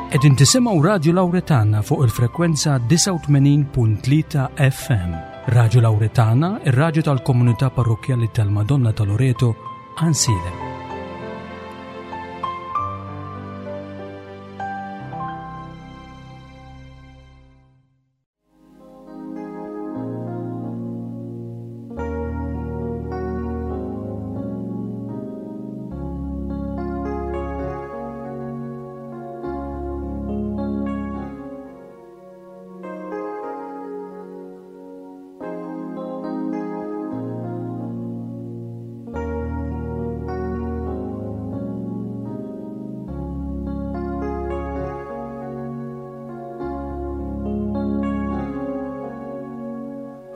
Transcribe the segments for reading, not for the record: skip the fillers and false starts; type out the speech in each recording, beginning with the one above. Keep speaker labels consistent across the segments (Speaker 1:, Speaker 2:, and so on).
Speaker 1: Qegħdin tisimgħu Radju Lawretana fuq il-frekwenza 89.3 FM. Radju Lawretana, ir-radju tal-komunità parrokkjali tal-Madonna ta' Loreto, Ansilem.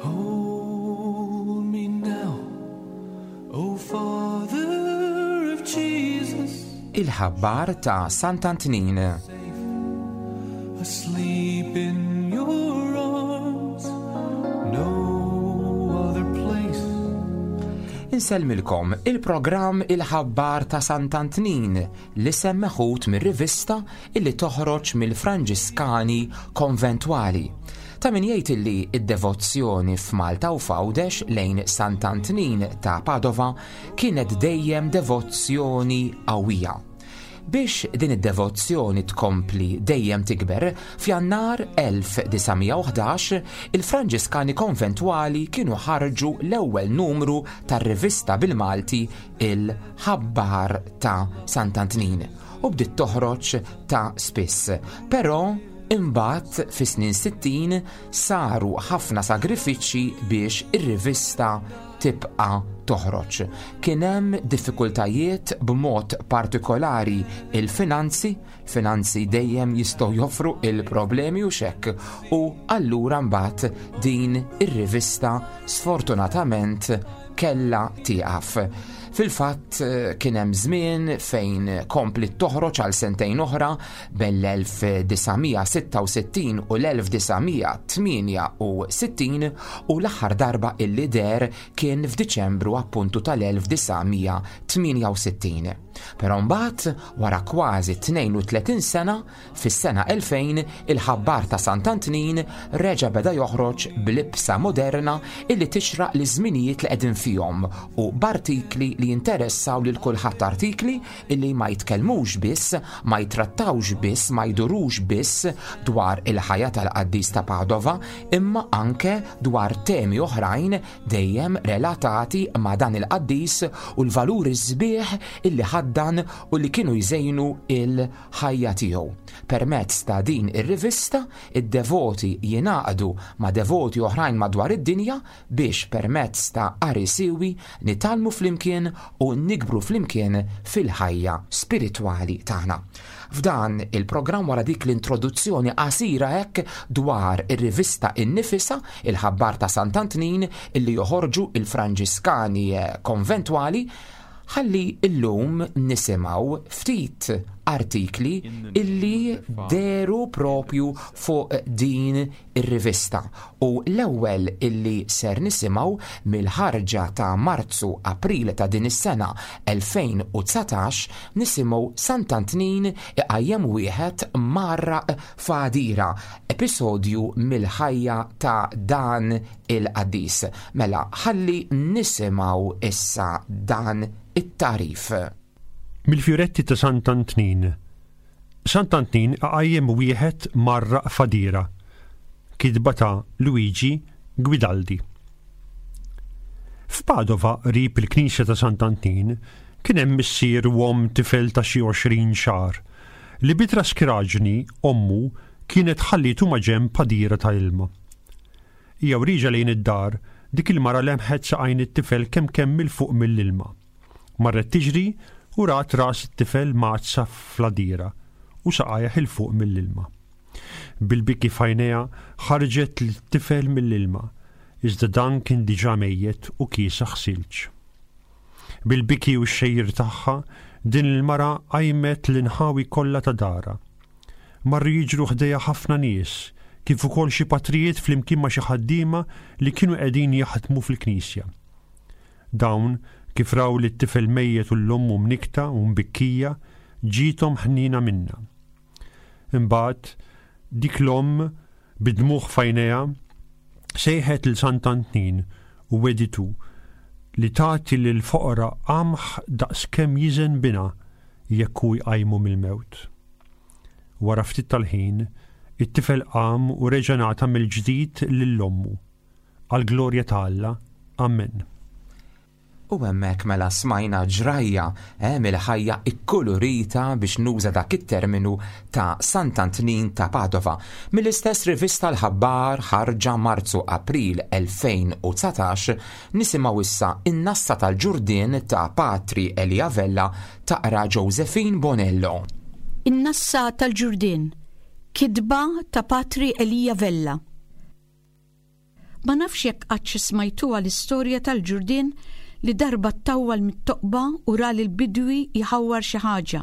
Speaker 2: Hold me now, O Father of Jesus.
Speaker 3: Il-ħabbar ta' Sant'Antnin.
Speaker 2: Asleep in your arms, no other place.
Speaker 3: Insellmilkom il-programm Il-ħabbar ta' Sant'Antnin l-isem meħud mir-rivista illi toħroġ mill-Franġiskani Konventwali. Ta' min jgħid illi d-devozzjoni f'Malta u f'Għawdex lejn Sant'Antnin ta' Padova kienet dejjem devozzjoni qawwija. Biex din id-devozzjoni tkompli dejjem tikber, f'Jannar 1911 il-Franġiskani Konventwali kienu ħarġu l-ewwel numru tar-rivista bil-Malti Il-Ħabbar ta' Sant'Antnin u bdiet toħroġ ta' spiss. Però imbagħad fis-snin 60 saru ħafna sagrifiċċji biex ir-rivista tibqa' toħroġ. Kien hemm diffikultajiet b'mod partikolari il-finanzi, finanzi dejjem jistgħu joffru il-problemi u xekk u allura mbagħad din ir-rivista sfortunatament kellha tieqaf. Fil-fatt eh, kien hemm żmien fejn kompliet toħroġ għal sentejn oħra bejn l-1966 u l-1968 u l-aħħar darba illi der kien f'Diċembru appuntu tal-1968. Però mbagħad wara kważi 32 sena Fis-sena 2000, il-Ħabbar ta' Sant'Antnin reġa' beda joħroġ b'libsa moderna illi tixraq liż-żminijiet li qegħdin fihom u b'artikli li jinteressaw lil kulħadd artikli illi ma jitkellmux biss, ma jittrattawx biss, ma jdurux biss dwar il-ħajja tal-qaddis ta' Padova imma anke dwar temi oħrajn dejjem relatati ma' dan il-qaddis u l-valuri sbieħ illi ħaddan u li kienu jżejnu il ħajja tiegħu. Permezz ta' din ir-rivista, id-devoti jingħaqdu ma' devoti oħrajn madwar id-dinja biex permezz ta' qari siewi nitgħallmu flimkien u nikbru flimkien fil-ħajja spiritwali tagħna. F'dan il-programm wara dik l-introduzzjoni qasira hekk dwar ir-rivista innifisha, il-Ħabbar ta' Sant'Antnin illi joħorġu il-Franġiskani Konventwali, Ħalli illum nisimgħu ftit artikli illi dehru propju fuq din ir-rivista u l-ewwel illi ser nisimgħu mill-ħarġa ta' Marzu April ta' din is-sena 2019 nisimgħu Sant'Antnin iqajjem wieħed mgħarraq f'għadira, episodju mill-ħajja ta' dan il-qaddis. Mela, ħalli nisimgħu issa dan it-tagħrif.
Speaker 4: Mill-fjuretti ta' Sant'Antnin. Sant'Antnin iqajjem wieħed mgħarraq f'għadira. Kitba ta' Luigi Guidaldi. F'Padova, qrib il-knisja ta' Sant'Antnin, kien hemm missier u omm tifel ta' xi 20 xahar, li bi traskiraġni ommu kienet ħallietu maġenb għadira ta' ilma. Hija u rieġa lejn id-dar, dik il-mara lemħet saqajn it-tifel kemm kemm 'il fuq mill-ilma. Marret tiġri u rat ras it-tifel mgħaddsa fl-għadira u saqajh 'il fuq mill-ilma. Bil-biki f'għajnejha ħarġet lit-tifel mill-ilma, iżda dan kien diġà mejjet u kiesaħ silġ. Bil-biki u x-xejjer tagħha, din il-mara qajmet l-inħawi kollha ta' darha. Marru jiġru ħdejha ħafna nies, kif ukoll xi patrijiet flimkien ma' xi ħaddiema li kienu qegħdin jaħdmu fil-knisja. Dawn, kif raw lit-tifel mejjet u 'l ommu mnikkta u mbikkija, ġiethom ħniena minnha. Imbagħad dik l-omm bid-dmugħ f'għajnejha sejħet lil Sant'Antnin u wegħditu li tagħti lill-foqra qamħ daqs kemm jiżen binha jekk hu jqajmu mill-mewt. Wara ftit tal-ħin, it-tifel qam u reġa' ngħata mill-ġdid lil ommu. Għall-glorja ta' Alla. Amen.
Speaker 3: U hemmhekk mela smajna ġrajja eh, mill-ħajja ikkulurita biex nuża dak it-terminu ta' Sant'Antnin ta' Padova. Mill-istess rivista l-Ħabbar ħarġa Marzu April 2019 nisimgħu issa in-nassa tal-ġurdien ta' Patri Elia Vella taqra Josephine Bonello.
Speaker 5: In-nassa tal-ġurdien, kitba ta' Patri Elia Vella. Ma nafx jekk qattx smajtuha l-istorja tal-ġurdien li darba ttawwal mit-toqba u ra lill-bidwi jħawwar xi ħaġa.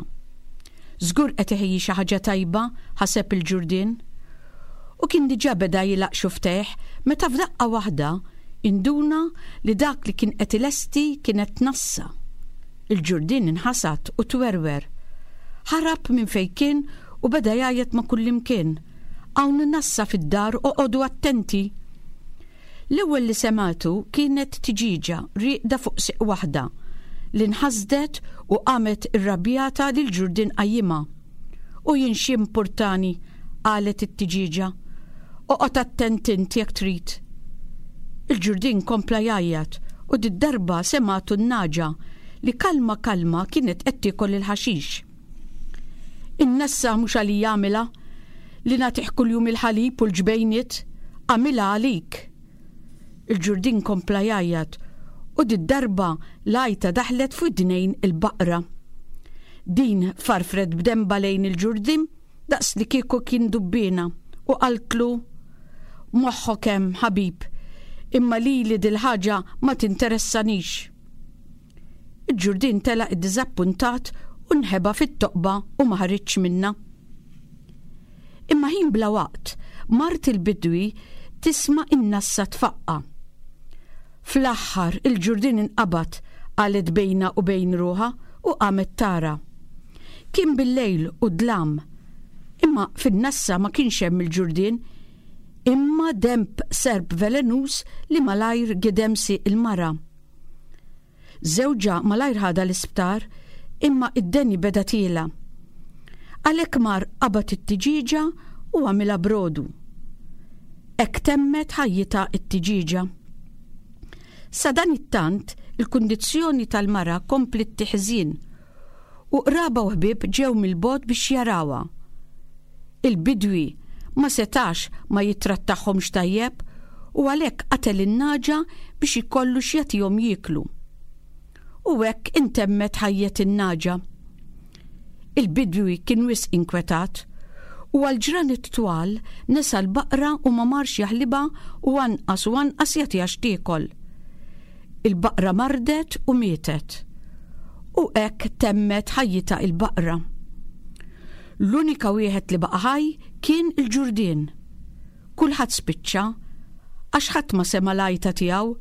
Speaker 5: Żgur qed iħejji xi ħaġa tajba, ħaseb il-ġurdien. U kien diġà beda jilgħaq xufftejh meta f'daqqa waħda induna li dak li kien qed ilesti kienet nassa. Il-ġurdien inħasad u twerwer. Ħarab minn fejn kien u beda jgħajjat ma' kullimkien. Hawn nassa fid-dar oqogħdu attenti! L-ewwel li semgħetu kienet tiġieġa rieqda fuq sieq waħda li nħasdet u qamet irrabjata li l-ġurdien qajjimha. U jien x'jimpurtani, qalet it-tiġieġa. Oqgħod attent int jekk trid. Il-ġurdien kompla jgħajjat u did-darba semgħetu n-nagħġa li kalma kalma kienet qed tiekol il-ħaxix. In-nassa mhux għalija għamilha, li nagħtih kuljum il-ħalib u l-ġbejniet, għamilha għalik. Il-ġurdin kompla jgħajjat u did-darba l-għajta daħlet f'widnejn il-baqra. Din farfret b'denba lejn il-ġurdin daqs li kieku kien dubbiena u qaltlu Moħħok hemm, ħabib, imma lili dil-ħaġa ma tinteressanix. Il-ġurdien telaq iddiżappuntat u nħeba fit-toqba u ma ħariġx minnha. Imma ħin bla waqt, mart il-bidwi tisma' in-nassa tfaqqa'. Fl-aħħar il-ġurdien inqabad, qalet bejnha u bejn ruħha u qamet tara. Kien bil-lejl u dlam. Imma fin-nassa ma kienx hemm il-ġurdien, imma denb serp velenuż li malajr gidem sieq il-mara. Żewġha malajr ħadha l-isptar imma id-deni beda tiela'. Għalhekk mar qabad it-tiġieġa u għamilha brodu. Hekk temmet ħajjitha t-tiġieġa. Sadanittant, il-kundizzjoni tal-mara kompliet tiħżien u qraba u ħbieb ġew mill-bogħod biex jarawha. Il-bidwi ma setax ma jittrattahomx tajjeb u għalhekk qatel in-nagħġa biex ikollu x'jagħtihom jieklu. U hekk intemmet ħajjet in-nagħġa. Il-bidwi kien wisq inkwetat u għal ġranet twal nesa l-baqra u ma marx jaħlibha u anqas u anqas jagħtiha x'tiekol. Il-baqra mardet u mietet. U hekk temmet ħajjitha il-baqra. L-unika wieħed li baqa' ħaj kien il-ġurdien. Kulħadd spiċċa, għax ħadd ma sema' l-għajta tiegħu,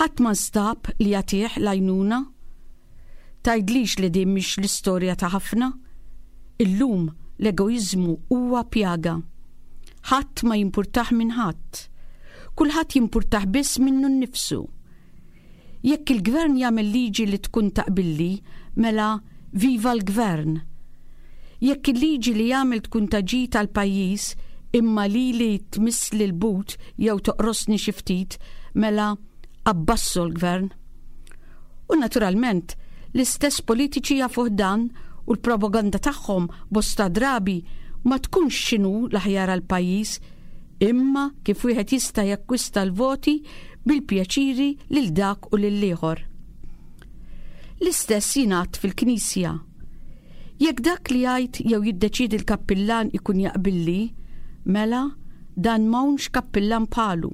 Speaker 5: ħadd ma nstab li jagħtih l-għajnuna. Tgħidlix li din mhix l-istorja ta' ħafna? Illum l-egoiżmu huwa pjaga. Ħadd ma jimpurtah minn ħadd. Kulħadd jimpurtah biss minnu nnifsu. Jekk il-gvern jagħmel liġi li tkun taqbilli, mela viva l-gvern. Jekk il-liġi li jagħmel tkun ta' ġid għall-pajjiż imma lili tmissli l-but jew toqrosni xi ftit, mela abbasso l-gvern. U naturalment, l-istess politiċi jafuh dan u l-propaganda tagħhom bosta drabi ma tkunx x'inhu l-aħjar għall-pajjiż imma kif wieħed jista' jakkwista l-voti bil-pjaċiri lil dak u lill-ieħor. L-istess jingħad fil-Knisja. Jekk dak li jgħid jew jiddeċiedi l-kappillan ikun jaqbilli, mela dan m'hawnx kappillan bħalu.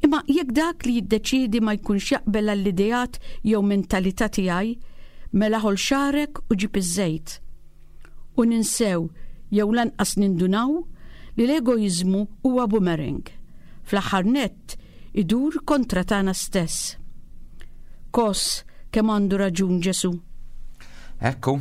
Speaker 5: Imma jekk dak li jiddeċiedi ma jkunx jaqbel għall-ideat jew mentalità tiegħi, mela ħoll xagħrek u ġib iż-żejt. U ninsew jew lanqas nindunaw li l-egoiżmu huwa boomerang. Fl-aħħar nett idur kontra tagħna stess. Kos kemm għandu raġun Ġesù.
Speaker 3: Ekku,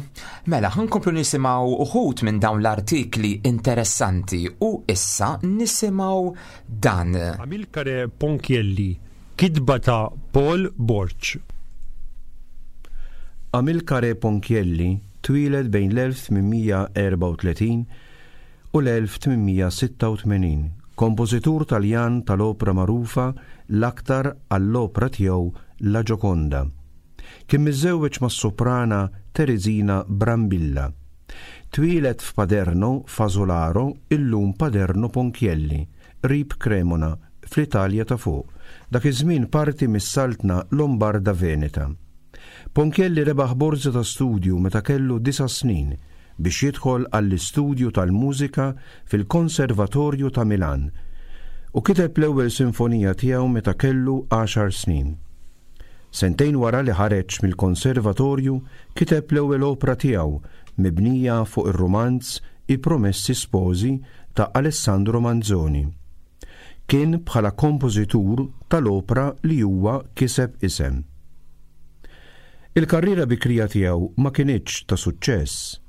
Speaker 3: mela ħankomplu nisimgħu uħud minn dawn l-artikli interessanti u issa nisimgħu dan.
Speaker 4: Amilcare Ponchielli, kitba ta' Paul Borg.
Speaker 6: Amilcare Ponchielli twieled bejn l-1834 u l-1886, kompożitur Taljan tal-opra magħrufa l-aktar għall-opra tiegħu La Gioconda. Kien miżżewweġ mas-soprana Teresina Brambilla. Twieled f'Paderno Fasolaro, illum Paderno Ponchielli, qrib Cremona, fl-Italja ta' Fuq, dak iż-żmien parti mis-Saltna Lombarda Veneta. Ponchielli rebaħ borża ta' studju meta kellu disa' snin biex jidħol għall-istudju tal-mużika fil-Konservatorju ta' Milan u kiteb l-ewwel sinfonija tiegħu meta kellu għaxar snin. Sentejn wara li ħareġ mill-Konservatorju kiteb l-ewwel opra tiegħu mibnija fuq ir-rumanz I Promessi Sposi ta' Alessandro Manzoni. Kien bħala kompożitur tal-opra li huwa kiseb isem. Il-karriera bikrija tiegħu ma kinitx ta' suċċess.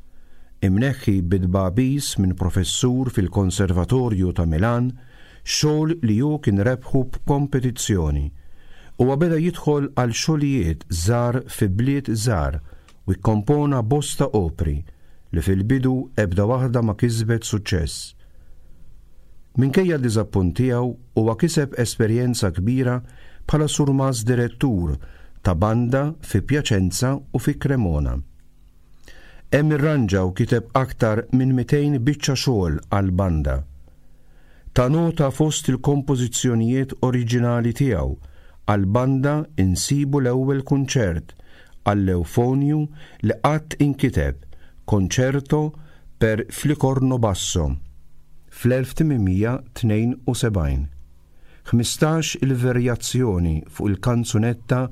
Speaker 6: Imneħħi bi tbagħbis minn professur fil-Konservatorju ta' Milan, xogħol li hu kien rebħu b'kompetizzjoni. Huwa beda jidħol għal xogħlijiet żgħar fi bliet żgħar u kkompona bosta opri li fil-bidu ebda waħda ma kisbet suċċess. Minkejja d-diżappunt tiegħu huwa kiseb esperjenza kbira bħala surmast direttur ta' banda fi Piacenza u fi Cremona. Hemm irranġa u kiteb aktar minn 200 biċċa xogħol għall-banda. Ta' nota fost il-kompożizzjonijiet oriġinali tiegħu għall-banda insibu l-ewwel kunċert għall-ewfonju li qatt inkiteb, Concerto per flicorno basso, fl-1872. 15 il-verjazzjoni fuq il-kanzunetta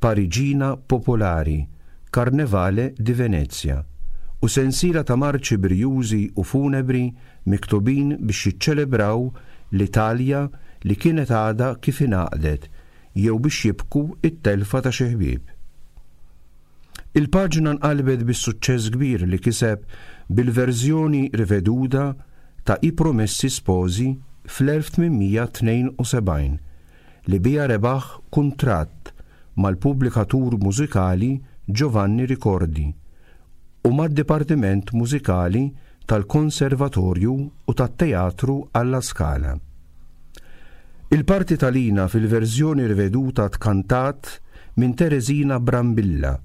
Speaker 6: Pariġina Popolari, Carnevale di Venezia, u sensiela ta' marċi brijużi u funebri miktubin biex jiċċelebraw l-Italja li kienet għadha kif ingħaqdet jew biex jibku t-telfa ta' xi ħbieb. Il-paġna nqalbet bis-suċċess kbir li kiseb bil-verżjoni riveduta ta' I Promessi Sposi fl-1872, li biha rebaħ kuntratt mal-pubblikatur mużikali Giovanni Ricordi u mad-dipartiment mużikali tal-Konservatorju u tat-Teatru alla Scala. Il-parti ta' Lina fil-verżjoni riveduta tkantat minn Teresina Brambilla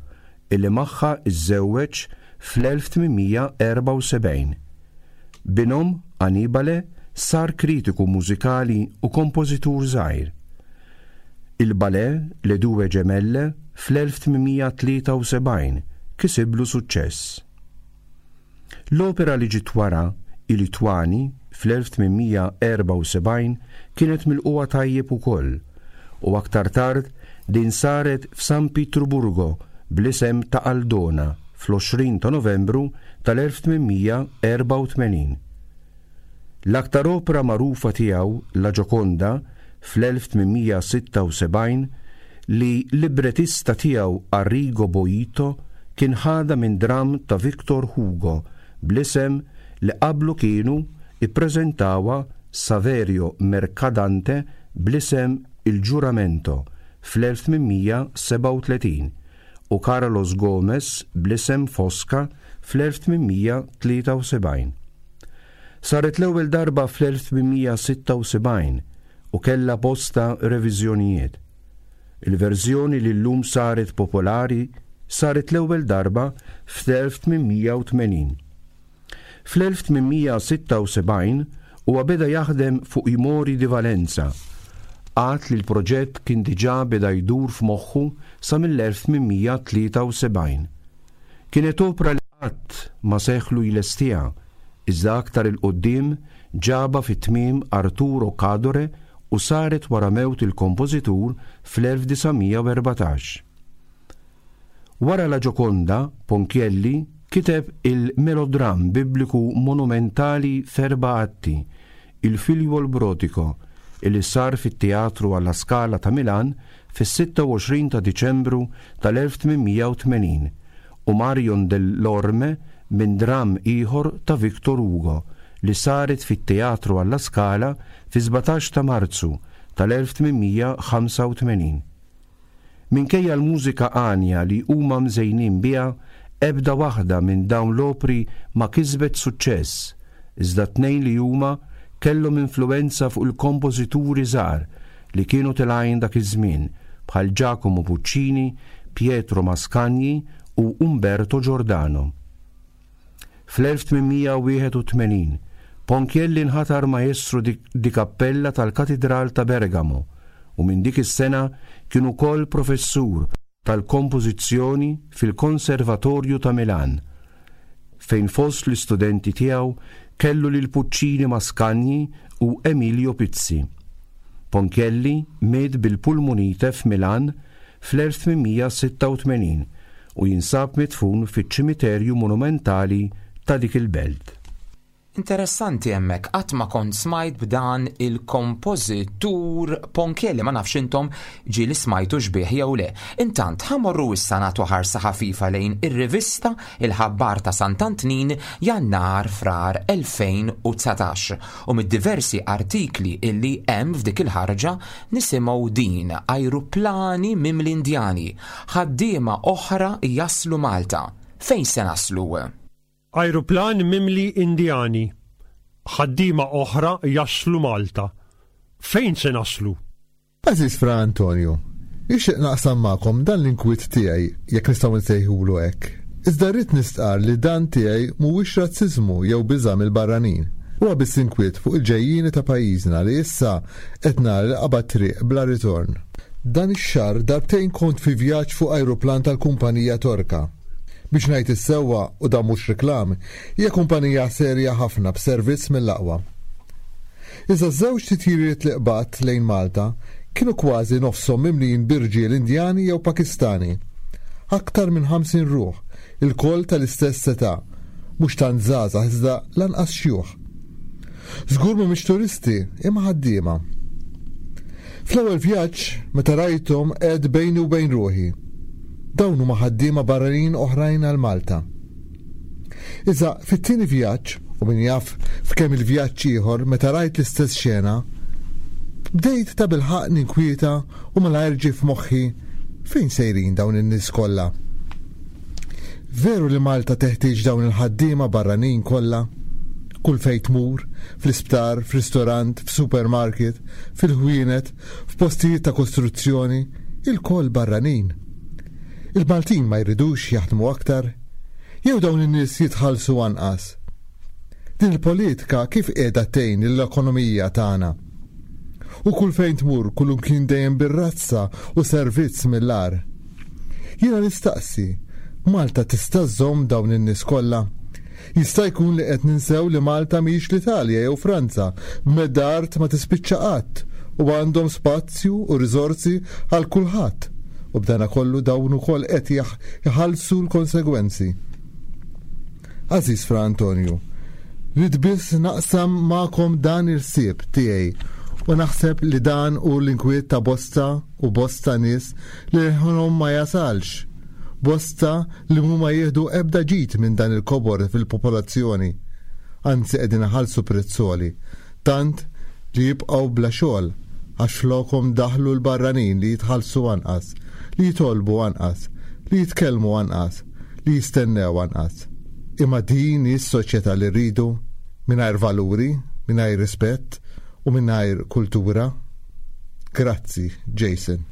Speaker 6: illi magħha żżewweġ fl-1874. Binhom, Annibale, sar kritiku mużikali u kompożitur żgħir. Il-ballet Le Due Gemelle fl-1873 kisiblu suċċess. L-opera li ġiet wara, I Lituani, fl-1874 kienet milqugħa tajjeb ukoll u aktar tard din saret f'San Pietruburgo bl-isem ta' Aldona fl-20 ta' Novembru tal-1884. L-aktar opra magħrufa tiegħu, La Gioconda, fl-1876, li l-librettista tiegħu Arrigo Boito kien ħadha minn dramm ta' Victor Hugo bl-isem li qablu kienu ippreżentawha Saverio Mercadante bl-isem Il Giuramento fl-1837 u Carlos Gomes bl-isem Fosca fl-1873. Saret l-ewwel darba fl-1876 u kellha bosta reviżjonijiet. Il-verżjoni li llum saret popolari saret l-ewwel darba fl-1880. Fl-1876 huwa beda jaħdem fuq I Mori di Valenza, għad li l-proġett kien diġà beda jdur f'moħħu sa mill-1873. Kienet opra li qatt ma seħħlu jlestiha, iżda aktar 'il quddiem ġabha fi tmiem Arturo Cadore u saret wara mewt il-kompożitur fl-1914. Wara La Gioconda, Ponchielli kiteb il-melodramm bibbliku monumentali f'erba' atti, Il Figliuol Brodigo, illi sar fit-Teatru alla Scala ta' Milan fis-26 ta' Diċembru tal-1880 u Marion dell'Orme minn dramm ieħor ta' Victor Hugo li saret fit-Teatru alla Scala fi-17 ta' Marzu tal-1885. Minkejja l-mużika għanja li huma mżejnin biha, ebda waħda minn dawn l-opri ma kisbet suċċess, iżda t-tnejn li huma kellhom influwenza fuq il-kompożituri żgħar li kienu telgħin dak iż-żmien bħal Giacomo Puccini, Pietro Mascagni u Umberto Giordano. Fl-1881, Ponchielli nħatar Maestro di Cappella tal-Katidral ta' Bergamo u minn dik is-sena kien ukoll professur tal-kompożizzjoni fil-Konservatorju ta' Milan, fejn fost l-istudenti tiegħu kellu lil Puccini Mascagni u Emilio Pizzi. Ponchielli miet bil-pulmunite f'Milan fl-1886 u jinsab midfun fiċ-ċimiterju monumentali ta' dik il-belt.
Speaker 3: Interessanti hemmhekk qatt ma kont smajt b'dan il-kompożitur Ponchielli ma nafx intom ġieli smajtu xbih jew le. Intant ħa morru issa nagħtu ħarsa ħafifa lejn ir-rivista Il-Ħabbar ta' Sant'Antnin Jannar Frar 2019 u mid-diversi artikli illi hemm f'dik il-ħarġa nisimgħu din ajruplani mimli Indjani, ħaddiema oħra jaslu Malta. Fejn se naslu?
Speaker 4: Ajruplan mimli Indjani, ħaddiema oħra jaslu Malta. Fejn se naslu?
Speaker 7: Għażiż Fra Antonio, nixtieq naqsam magħkom dan l-inkwiet tiegħi, jekk nistgħu nsejħulu hekk. Iżda rrid nistqarr li dan tiegħi mhuwiex razziżmu jew biża' mill-barranin. Huwa biss inkwiet fuq il-ġejjieni ta' pajjiżna li issa qed nara li qabad triq bla ritorn. Dan ix-xahar darbtejn kont fi vjaġġ fuq ajruplan tal-kumpanija Torka. Biex ngħid is-sewwa, u dan mhux reklam, hija kumpanija serja ħafna b'servizz mill-aqwa. Iżda ż-żewġ titjiriet li qbadt lejn Malta kienu kważi nofshom mimlijin bi rġiel Indjani jew Pakistani. Aktar minn 50 ruħ, ilkoll tal-istess età, mhux tant żgħażagħ iżda lanqas xjuħ. Żgur mhumiex turisti, imma ħaddiema. Fl-ewwel vjaġġ, meta rajthom għedt bejni u bejn ruħi, Dawn huma ħaddiema barranin oħrajn għal Malta. Iżda fit-tieni vjaġġ, u min jaf f'kemm il-vjaġġ ieħor meta rajt l-istess xena, bdejt tabilħaqq ninkwieta u malajr ġie f'moħħi fejn sejrin dawn in-nies kollha? Veru li Malta teħtieġ dawn il-ħaddiema barranin kollha? Kull fejn tmur, fl-isptar, f'ristorant, f'supermarket, fil-ħwienet, f'postijiet ta' kostruzzjoni, ilkoll barranin. Il-Maltin ma jridux jaħdmu aktar? Jew dawn in-nies jitħallsu anqas? Din il-politika kif qiegħda tgħin lill-ekonomija tagħna? U kull fejn tmur kullimkien dejjem bir-razza u servizz mill-agħar. Jiena nistaqsi, Malta tista' żżomm dawn in-nies kollha? Jista' jkun li qed ninsew li Malta mhijiex l-Italja jew Franza b'medda art ma tispiċċa qatt u għandhom spazju u riżorsi għal kulħadd u b'danakollu dawn ukoll qed iħallsu l-konsegwenzi. Għażiż Fra Antonju, ridt biss naqsam magħkom dan il-ħsieb tiegħi u naħseb li dan hu l-inkwiet ta' bosta u bosta nies li leħenhom ma jasalx, bosta li mhuma jieħdu ebda ġid minn dan il-kobor fil-popolazzjoni, anzi qegħdin iħallsu prezz għoli, tant li jibqgħu bla xogħol għax flokhom daħlu l-barranin li jitħallsu anqas, li jitolbu anqas, li jitkellmu anqas, li jistennew anqas. Imma din hi s-soċjetà li rridu? Mingħajr valuri, mingħajr rispett u mingħajr kultura? Grazzi, Jason.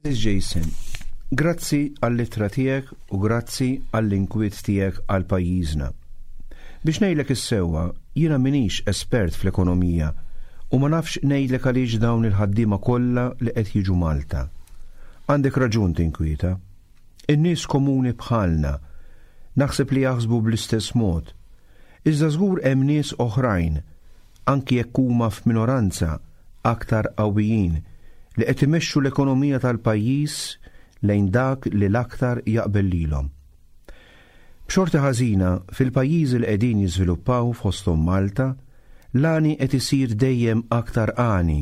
Speaker 6: Għażiż Jason, grazzi għall-ittra tiegħek u grazzi għall-inkwiet tiegħek għal pajjiżna. Biex ngħidlek is-sewwa, jiena m'iniex espert fl-ekonomija u ma nafx ngħidlek għaliex dawn il-ħaddiema kollha li qed jiġu Malta. Għandek raġun tinkwieta. In-nies komuni bħalna naħseb li jaħsbu bl-istess mod. Iżda żgur hemm nies oħrajn, anki jekk huma f'minoranza, aktar qawwijin, li qed imexxu l-ekonomija tal-pajjiż lejn dak li l-aktar jaqbel lilhom. B'xorti ħażina, fil-pajjiżi li qegħdin jiżviluppaw fosthom Malta, l-għani qed isir dejjem aktar għani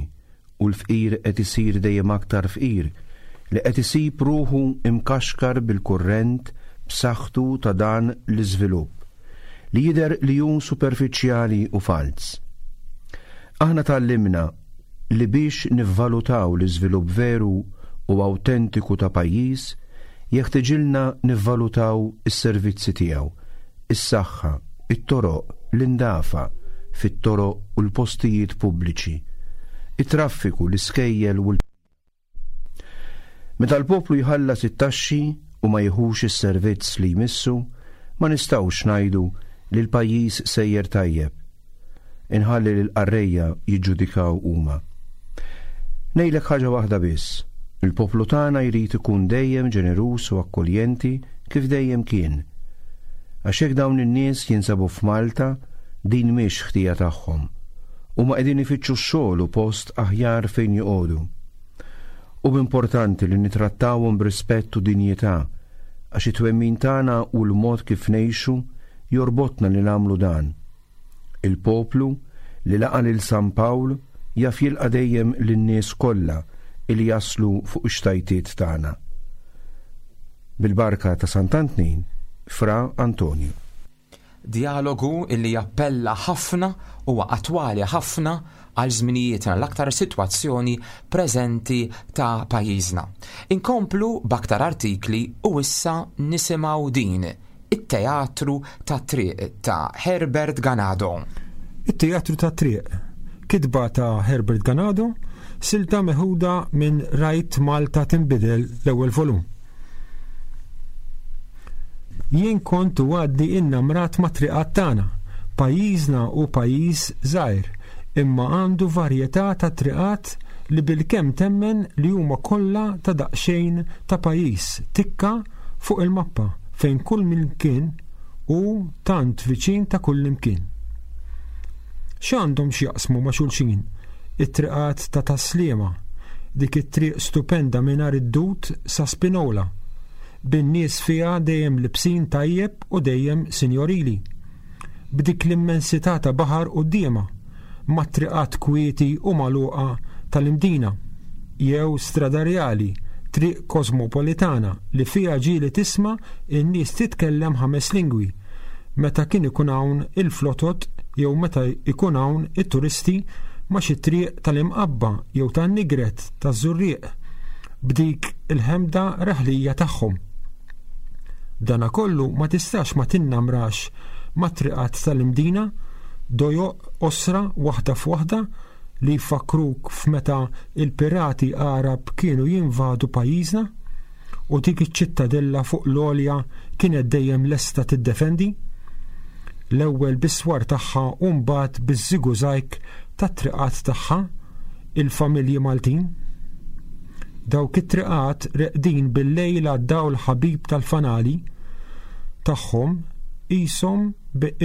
Speaker 6: u l-fqir qed isir dejjem aktar fqir li qed isib ruħu imkaxkar bil-kurrent b'saħħtu ta' dan l-iżvilupp, li jidher li hu superfiċjali u falz. Aħna tgħallimna li biex nivvalutaw l-iżvilupp veru u awtentiku ta' pajjiż, jeħtiġilna nivvalutaw is-servizzi tiegħu, is-saħħa, it-toroq, l-indafa fit-toroq u l-postijiet pubbliċi, it-traffiku, l-iskejjel u l. Meta l-poplu jħallas it-taxxi u ma jiħux is-servizz li jmissu, ma nistgħux ngħidu li l-pajjiż sejjer tajjeb. Inħalli lill-qarrejja jiġġudikaw huma. Ngħidlek ħaġa waħda biss, il-poplu tagħna jrid ikun dejjem ġeneruż u akkoljenti kif dejjem kien. Għax jekk dawn in-nies jinsabu f'Malta, din mhix ħtija tagħhom. Huma qegħdin ifittxu x-xogħol u post aħjar fejn joqogħdu. Hu importanti li nittrattawhom b'rispett u dinjità għax it-twemmin tagħna u l-mod kif ngħixu jorbotna li nagħmlu dan. Il-poplu li laqa' lil San Pawl jaf jilqa' dejjem lin-nies kollha li jaslu fuq ix-xtajtiet tagħna. Bil-barka ta' Sant'Antnin, Fra Antonju.
Speaker 3: Djalogu illi jappella ħafna, huwa attwali ħafna għal żminijietna, l-aktar sitwazzjoni preżenti ta' pajjiżna. Inkomplu b'aktar artikli u issa nisimgħu din, It-Teatru tat-Triq ta' Herbert Ganado.
Speaker 8: It-Teatru tat-Triq, kitba ta' Herbert Ganado, silta meħuda minn Rajt Malta Tinbidel l-ewwel volum. Jien kont u għadni innamrat mat-triqat tagħna. Pajjiżna hu pajjiż żgħir, imma għandu varjetà ta' triqat li bilkemm temmen li huma kollha ta' daqsxejn ta' pajjiż tikka fuq il-mappa fejn kull mkien hu tant viċin ta' kullimkien. X'għandhom x'jaqsmu ma' xulxin it-triqat ta' Tas-Sliema, dik it-triq stupenda mingħajr id-dud sa Spinola, bin-nies fiha dejjem libsin tajjeb u dejjem sinjorili, b'dik l-immensità ta' baħar quddiemha, mat-triqat kwieti u magħluqa tal-Imdina, jew Strada Rjali, triq kosmopolitana li fiha ġieli tisma' n-nies titkellem ħames lingwi, meta kien ikun hawn il-flotot jew meta jkun hawn it-turisti ma' xi triq tal-Imqabba jew tan-Nigret taż-Żurrieq b'dik il-ħemda raħlija tagħhom. B'danakollu ma tistax ma tinnamrax mat-triqat tal-Imdina, dojoq qosra waħda f'waħda li jfakkruk f'meta l-pirati Għarab kienu jinvadu pajjiżna u dik iċ-ċittadella fuq l-għolja kienet dejjem lesta tiddefendi, l-ewwel bis-swar tagħha u mbagħad biż-żigużajg tat-triqat tagħha, il-familji Maltin. Dawk it-triqat reqdin bil-lejl għad-dawl ħabib tal-fanali tagħhom qishom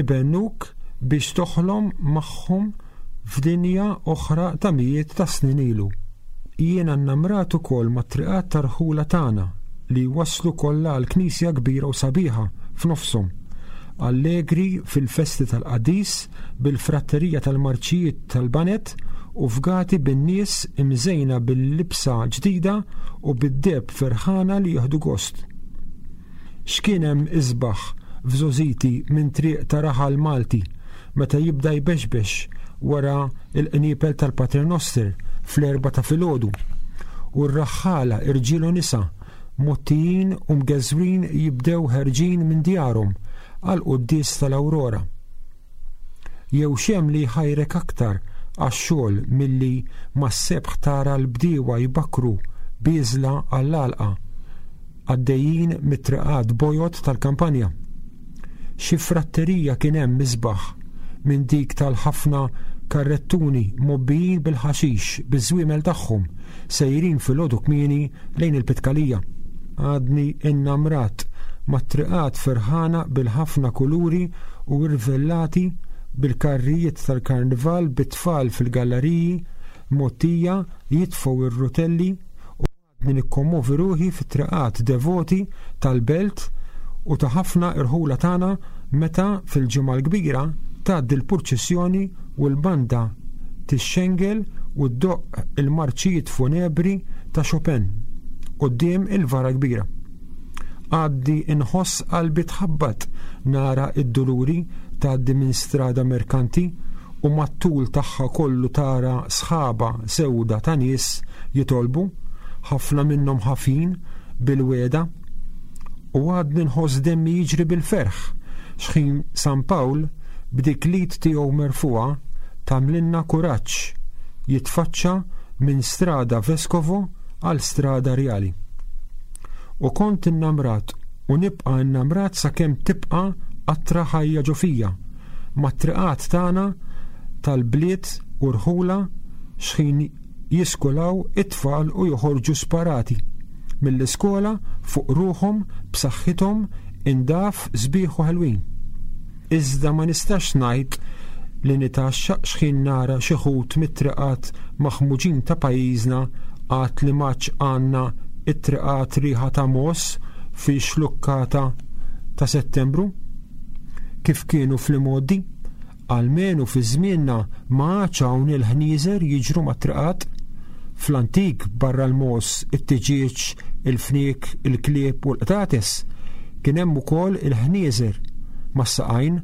Speaker 8: ibennuk biex toħlom magħhom f'dinja oħra ta' mijiet ta' snin ilu. Jiena nnamrat ukoll mat-triqat tar-rħula tagħna li jwasslu kollha għal knisja kbira u sabiħa f'nofshom, allegri fil-festi tal-qaddis bil-fratterija tal-marċijiet tal-baned u fgati bin-nies imżejna bil-libsa ġdida u bid-deheb ferħana li jieħdu gost. X'kien hemm isbaħ f'żgħożiti minn triq ta' raħal Malti meta jibda jbexbex wara l-qniepel tal-Paternoster fl-erbgħa ta' filgħodu u r-raħħala irġiel u nisa mgħottijin u mgeżwrin jibdew ħerġin minn djarhom għall-quddies tal-Awrora. Jew x'hemm li jħajrek aktar għax-xogħol milli mas-sebħ tara l-bdiewa jbakkru bieżla għall-għalqa għaddejjin mit-triqat bojod tal-kampanja? Xi fratterija kien hemm isbaħ minn dik tal-ħafna karrettuni mgħobbijin bil-ħaxix biż-żwiemel tagħhom sejrin filgħodu kmieni lejn il-Pitkalija. Għadni innamrat mat-triqat ferħana bil-ħafna kuluri u irvellati bil-karrijiet tal-karnival bit-tfal fil-gallariji mgħottija jitfgħu r-rutelli u għadni nikkommovi ruħi fit-triqat devoti tal-belt u ta' ħafna irħula tagħna meta fil-Ġimgħa l-Kbira tgħaddi l-purċissjoni u l-banda tixxengel u ddoqq il-marċijiet funebri ta' Chopin quddiem il-vara kbira. Għaddi nħoss qalbi tħabbat nara d-Duluri tgħaddi minn Strada Merkanti u mat-tul tagħha kollu tara sħaba sewda ta' nies jitolbu, ħafna minnhom ħafin bil-wegħda. U għadni nħoss demmi jiġri bil-ferħ x'ħin San Pawl b'dik l-id tiegħu merfugħa tagħmlilna kuraġġ jitfaċċa minn Strada Vescovo għal Strada Rjali. U kont innamrat u nibqa' innamrat sakemm tibqa' qatra ħajja ġo fija, mat-triqat tagħna tal-bliet u rħula x'ħin jiskulaw it-tfal u joħorġu sparati mill-iskola fuq ruħhom b'saħħithom indaf sbieħ u ħelwin. Iżda ma nistax ngħid li nitgħaxxaq x'ħin nara xi ħut mit-triqat maħmuġin ta' pajjiżna għad li m'għadx għandna t-triqat riħa ta' mogħoż fix-xlukkata ta' Settembru kif kienu fl-imgħoddi. Almenu fi żmienna ma għadx hawn il-ħnieżer jiġru mat-triqat. Fl-antik barra l-mogħoż, it-tiġieġ, il-fniek, il-klieb u l-qtates, kien hemm ukoll il-ħnieżer mas-saqajn,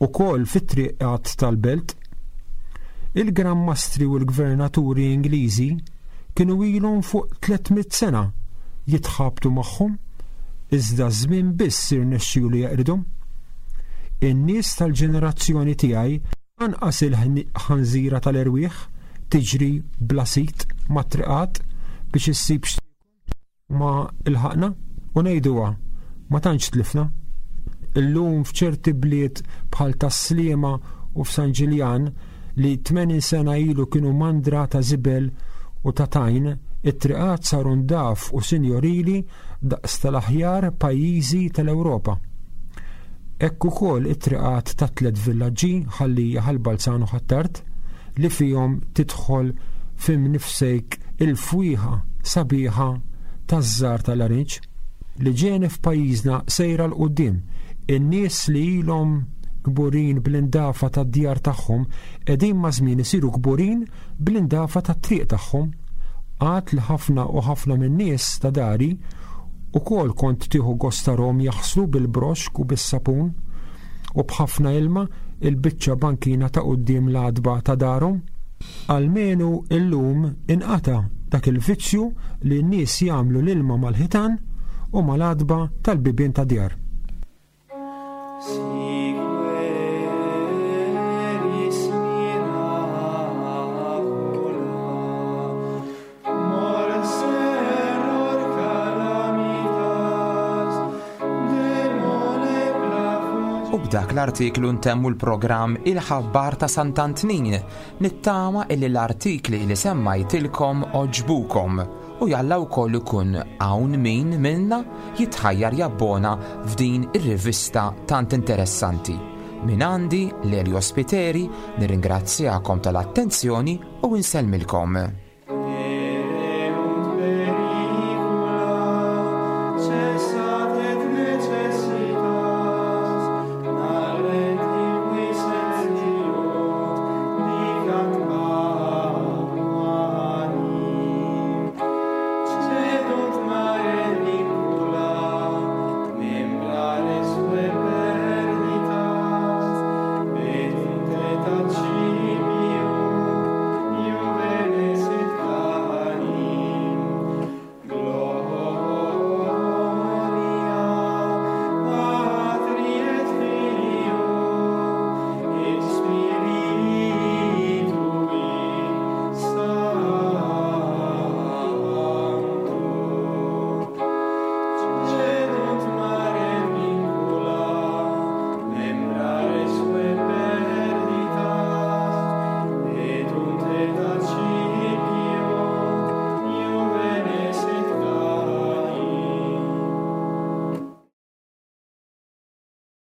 Speaker 8: ukoll fit-triqat tal-belt. Il-Gran Mastri u l-Gvernaturi Ingliżi kienu ilhom fuq 300 sena jitħabtu magħhom, iżda ż-żmien biss irnexxielu jeqridhom. In-nies tal-ġenerazzjoni tiegħi anqas il-ħanżira tal-erwieħ tiġri bla sid mat-triqat biex issib x'tiekol ma lħaqna u ngħiduha ma tantx tlifna. Illum f'ċerti bliet bħal Tas-Sliema u f'San Ġiljan li 80 sena ilu kienu mandra ta' żibel u ta' tajn, it-triqat saru ndaf u sinjorili daqs tal-aħjar pajjiżi tal-Ewropa. Hekk ukoll it-triqat tat-tlett villaġġi, Ħal Lija, Ħal Balzan u Ħ'Attard, li fihom tidħol f'imnifsejk il-fwieħa sabiħa taż-żahar tal-larinġ. L-iġene f'pajjiżna sejra 'l quddiem. In-nies li ilhom kburin bl-indafa tad-djar tagħhom qegħdin maż-żmien isiru kburin bl-indafa tat-triq tagħhom. Għad li ħafna u ħafna min-nies ta' dari ukoll kont tieħu gost tarahom jaħslu bil-broxk u bis-sapun u b'ħafna ilma il-biċċa bankina ta' quddiem l-għatba ta' darhom. Almenu illum inqata' dak il-vizzju li n-nies jagħmlu l-ilma mal-ħitan u mal-għatba tal-bibien tad-djar.
Speaker 3: U b'dak l-artiklu ntemmu l-programm Il-Ħabbar ta' Sant'Antnin. Nittama illi l-artikli li semmajtilkom għoġbukom u jalla wkoll ikun hawn min minna jitħajjar jabbona f'din ir-rivista tant interessanti. Min għandi Lelio Spiteri nirringrazzjakom tal-attenzjoni u insellmilkom.